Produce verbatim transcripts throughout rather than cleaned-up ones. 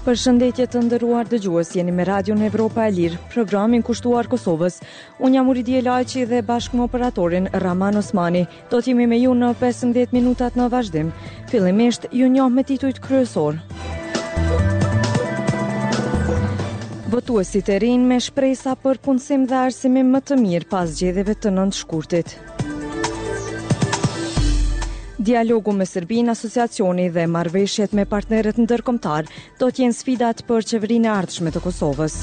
Përshëndetje të nderuar dëgjues, jeni me Radion Evropa e Lirë, programin kushtuar Kosovës. Unë jam Uridije Lajçi dhe bashkë me operatorin Rahman Osmani. Do të jemi me ju në pesëmbëdhjetë minutat në vazhdim. Fillimisht, ju njoh me titujt kryesor. Votuesit e rinj me shpresa për punësim dhe arsimim më të mirë pas zgjedhjeve të nëntë shkurtit. Dialogu me Serbinë, asociacioni dhe marrëveshjet me partnerët ndërkombëtar do të jenë sfidat për qeverinë e ardhshme të Kosovës.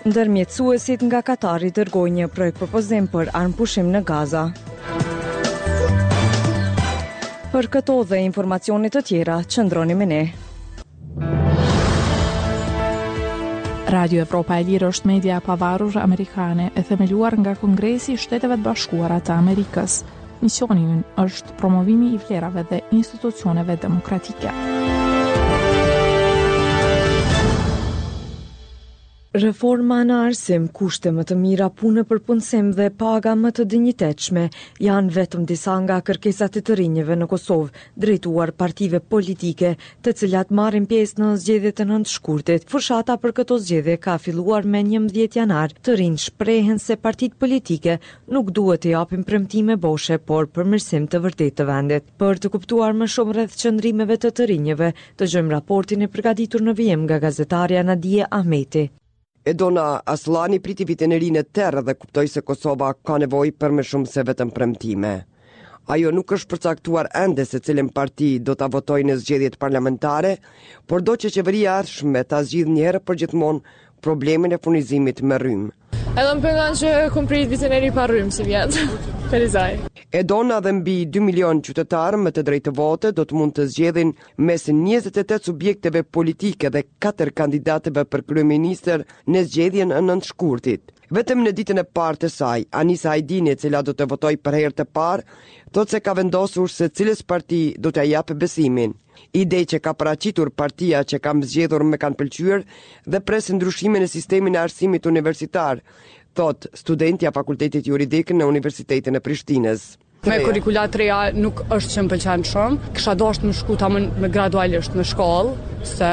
Ndërmjetësuesit nga Katari dërgojnë një projekt propozim për armëpushim në Gaza. Për këto dhe informacione të tjera, qëndroni me ne. Radio Evropa e Lirë është media e pavarur amerikane e themeluar nga Kongresi i Shteteve të Bashkuara të Amerikës. Misioni ynë është promovimi i vlerave dhe institucioneve demokratike. Reforma në arsim, kushte më të mira pune për punësim dhe paga më të dinjitetshme janë vetëm disa nga kërkesat e të rinjve në Kosovë, drejtuar partive politike, të cilat marrin pjesë në zgjedhjet e nëntë shkurtit. Fushata për këto zgjedhje ka filluar me njëmbëdhjetë janar. Të rinj shprehen se partitë politike nuk duhet të japin premtime boshe, por përmirësim të vërtetë të vendit. Për të kuptuar më shumë rreth qëndrimeve të të rinjve, dëgjojmë raportin e përgatitur në vijim nga gazetarja Nadie Ahmeti. Edona Asllani priti vitin e ri në terr dhe kuptoi se Kosova ka nevojë për më shumë se vetëm premtime. Ajo nuk është përcaktuar ende se cilën parti do ta votojë në zgjedhjet parlamentare, por do që qeveria e ardhshme ta zgjidhë një herë për gjithmonë problemin e furnizimit me rrymë. Edhe më pengon që kom prit vitin e ri pa rrymë si vjet. Ferizaj. Edona dhe mbi dy milion qytetarë me të drejtë vote do të mund të zgjedhin mes njëzet e tetë subjekteve politike dhe katër kandidatëve për kryeministër në zgjedhjen e nëntë shkurtit. Vetëm në ditën e parë të saj, Anisa Ajdini, e cila do të votojë për herë të parë, thotë se ka vendosur se cilës parti do t'ia japë besimin. Ide që ka paraqitur partia që kam zgjedhur më kanë pëlqyer dhe pres ndryshimin e sistemin e arsimit universitar, thot studentja e Fakultetit Juridik në Universitetin e Prishtinës. Me kurrikula të reja nuk është që më pëlqen shumë. Kisha dashur të më shku tamam me gradualisht në shkollë, se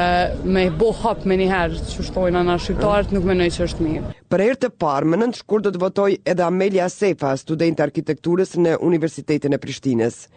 me bo hap me njëherë, që shtojnë na shqiptarët, nuk mendoj që është mirë. Për herë të parë, më nëntë shkurt do të votoj edhe Amelia Sefa, studente arkitekturës në Universitetin e Prishtinës.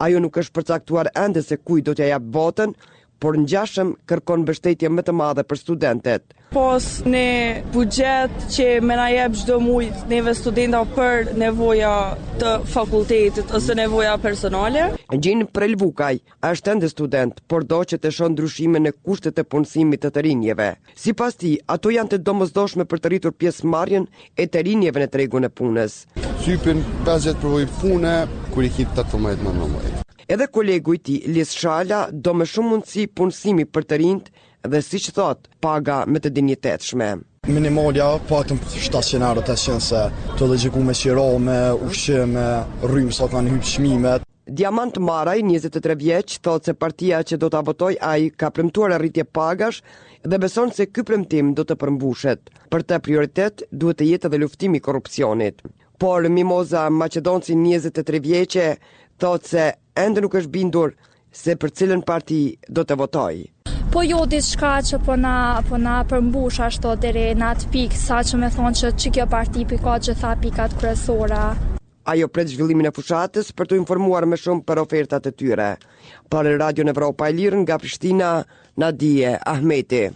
Ajo nuk është përcaktuar ende se kujt do t'ia jap votën, por ngjashëm kërkon mbështetje më të madhe për studentet. Pos ne buxhet që me na jep çdo muaj neve studenta për nevoja të fakultetit ose nevoja personale. Gjin Prelvukaj është ende student, por do që të shohë ndryshime në kushtet e punësimit të të rinjeve. Sipas tij, ato janë të domosdoshme për të rritur pjesëmarrjen e të rinjeve në tregun e punës. Sypin pesëdhjetë përvojë pune, kur i ki tetëmbëdhjetë nëntëmbëdhjetë. Edhe kolegu i tij, Lis Shala, do më shumë mundësi punësimi për të rinjt dhe, siç thot, paga më të dinjitetshme. Minimalja paktën shtatëqind euro, tetëqind, se të logjikuar me qira, me ushqim, me rrymë sa kanë hyrë çmimet. Diamant Maraj, njëzet e tre vjeç, thotë se partia që do ta votoj ai ka premtuar rritje pagash dhe beson se ky premtim do të përmbushet. Për të prioritet duhet të jetë edhe luftimi i korrupsionit. Por Mimoza Maqedonci, njëzet e tre vjeçe, thotë se ende nuk është bindur se për cilën parti do të votoj. Po jo diçka që po na, po na përmbush ashtu deri në atë pikë, sa që me thonë që, që kjo parti pi ka gjitha pikat kryesore. Ajo pret zhvillimin e fushatës për t'u informuar më shumë për ofertat e tyre. Për Radion Evropa e Lirë nga Prishtina, Nadie Ahmeti.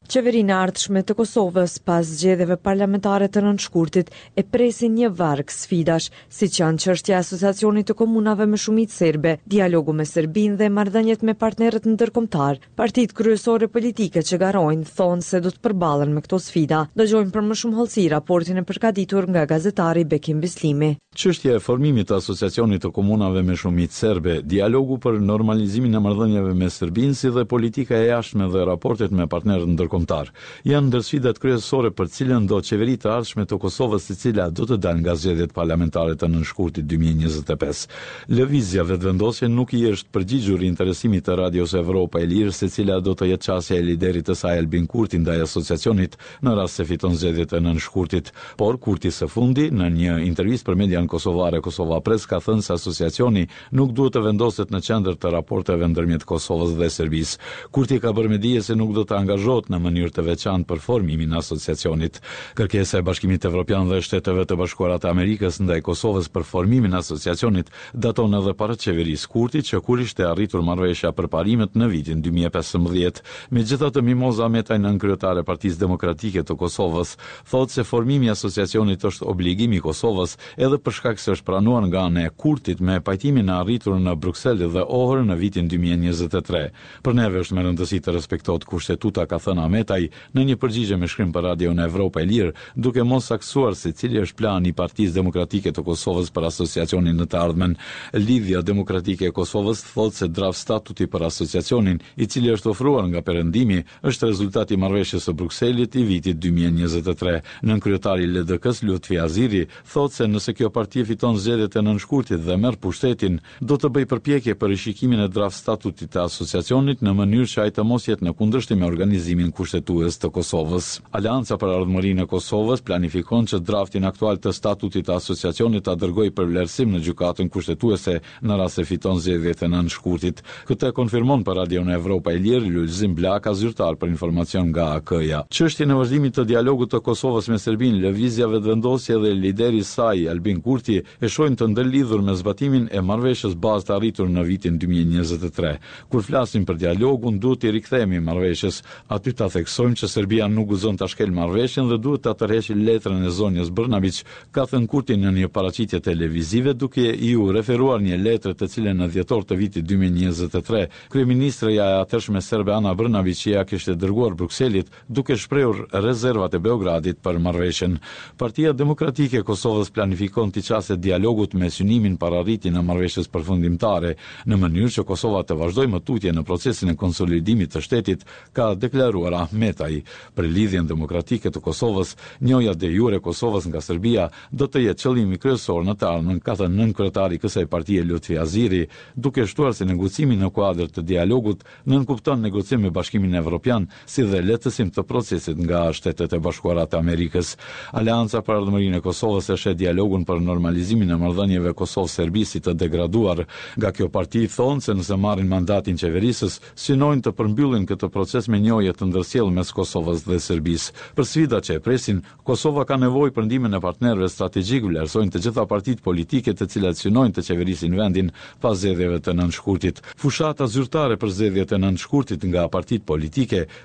Qeverinë e ardhshme të Kosovës pas zgjedhjeve parlamentare të nëntë shkurtit e presin një varg sfidash, siç janë çështja e Asociacionit të Komunave me shumicë serbe, dialogu me Serbinë dhe marrëdhëniet me partnerët ndërkombëtar. Partitë kryesore politike që garojnë thonë se do të përballen me këto sfida. Dëgjojmë për më shumë hollësi raportin e përgatitur nga gazetari Bekim Bislimi. Çështja e formimit të Asociacionit të Komunave me shumicë serbe, dialogu për normalizimin e marrëdhënieve me Serbinë, si dhe politika e jashtme dhe raportet me partnerët ndërkombëtar ndërkombëtar. Janë ndër sfidat kryesore për cilëndo qeveri të ardhshme të Kosovës, e cila do të dalë nga zgjedhjet parlamentare të nëntë shkurtit dy mijë e njëzet e pesë. Lëvizja Vetëvendosje nuk i është përgjigjur interesimit të Radios Evropa e Lirë se cila do të jetë qasja e liderit të saj, Albin Kurti, ndaj asociacionit në rast se fiton zgjedhjet e nëntë shkurtit. Por Kurti së fundi, në një intervistë për median kosovare Kosova Press, ka thënë se asociacioni nuk duhet të vendoset në qendër të raporteve ndërmjet Kosovës dhe Serbisë. Kurti ka bërë me dije se nuk do të angazhohet në mënyrë të veçantë për formimin e asociacionit. Kërkesa e Bashkimit Evropian dhe Shteteve të Bashkuara të Amerikës ndaj Kosovës për formimin e asociacionit daton edhe para qeverisë Kurti, që kur ishte arritur marrëveshja për parimet në vitin dy mijë e pesëmbëdhjetë. Megjithatë, Mimoza Ahmetaj, nënkryetare e Partisë Demokratike të Kosovës, thotë se formimi i asociacionit është obligim i Kosovës, edhe për shkak se është pranuar nga ana e Kurtit me pajtimin e arritur në Bruksel dhe Ohër në vitin dy mijë e njëzet e tre. "Për neve është me rëndësi të respektohet kushtetuta", ka thënë Ahmetaj në një përgjigje me shkrim për Radion Evropa e Lirë, duke mos saktësuar se cili është plani i Partisë Demokratike të Kosovës për asociacionin në të ardhmen. Lidhja Demokratike e Kosovës thotë se draft statuti për asociacionin, i cili është ofruar nga Perëndimi, është rezultat i marrëveshjes së Brukselit i vitit dy mijë e njëzet e tre. Nënkryetari i L D K-s, Lutfi Haziri, thotë se nëse kjo parti fiton zgjedhjet e nëntë shkurtit dhe merr pushtetin, do të bëjë përpjekje për rishikimin e draft statutit të asociacionit, në mënyrë që ai të mos jetë në kundërshtim me organizimin kushtetues të Kosovës. Aleanca për Ardhmërinë e Kosovës planifikon që draftin aktual të statutit të asociacionit ta dërgojë për vlerësim në Gjykatën Kushtetuese në rast se fiton zgjedhjet e nëntë shkurtit. Këtë e konfirmon për Radion Evropa e Lirë Lulzim Blaka, zyrtar për informacion nga A K-ja. Çështjen e vazhdimit të dialogut të Kosovës me Serbinë, Lëvizja Vetëvendosje dhe lideri i saj, Albin Kurti, e shohin të ndërlidhur me zbatimin e marrëveshjes bazë të arritur në vitin dy mijë e njëzet e tre. "Kur flasim për dialogun, duhet t'i rikthehemi marrëveshjes. Aty ta theksojmë që Serbia nuk guxon ta shkel marrëveshjen dhe duhet ta tërheqë letrën e zonjës Brnabić", ka thënë Kurti në një paraqitje televizive, duke iu referuar një letre të cilën në dhjetor të vitit dy mijë e njëzet e tre kryeministrja e atëhershme serbe, Ana Brnabić, ia kishte dërguar Brukselit, duke shprehur rezervat e Beogradit për marrëveshjen. Partia Demokratike e Kosovës planifikon t'i qaset dialogut me synimin për arritjen e marrëveshjes përfundimtare, në mënyrë që Kosova të vazhdojë më tutje në procesin e konsolidimit të shtetit, ka deklaruar Ahmetaj. Për Lidhjen Demokratike të Kosovës, njohja de jure e Kosovës nga Serbia do të jetë qëllimi kryesor në të ardhmen, ka thënë nënkryetari i kësaj partie, Lutfi Haziri, duke shtuar se negocimi në kuadër të dialogut nënkupton negocim me Bashkimin Evropian, si dhe lehtësim të procesit nga Shtetet e Bashkuara të Amerikës. Aleanca për Ardhmërinë e Kosovës e sheh dialogun për normalizimin e marrëdhënieve Kosovë-Serbi si të degraduar. Nga kjo parti thonë se nëse marrin mandatin qeverisës, synojnë të përmbyllin këtë proces me njohje të ndërsjellë mes Kosovës dhe Serbisë. Për sfidat që e presin, Kosova ka nevojë për ndihmën e partnerëve strategjik, vlerësojnë të gjitha partitë politike të cilat synojnë të qeverisin vendin pas zgjedhjeve të nëntë shkurtit. Fushata zyrtare për zgjedhjet e nëntë shkurtit nga partitë politike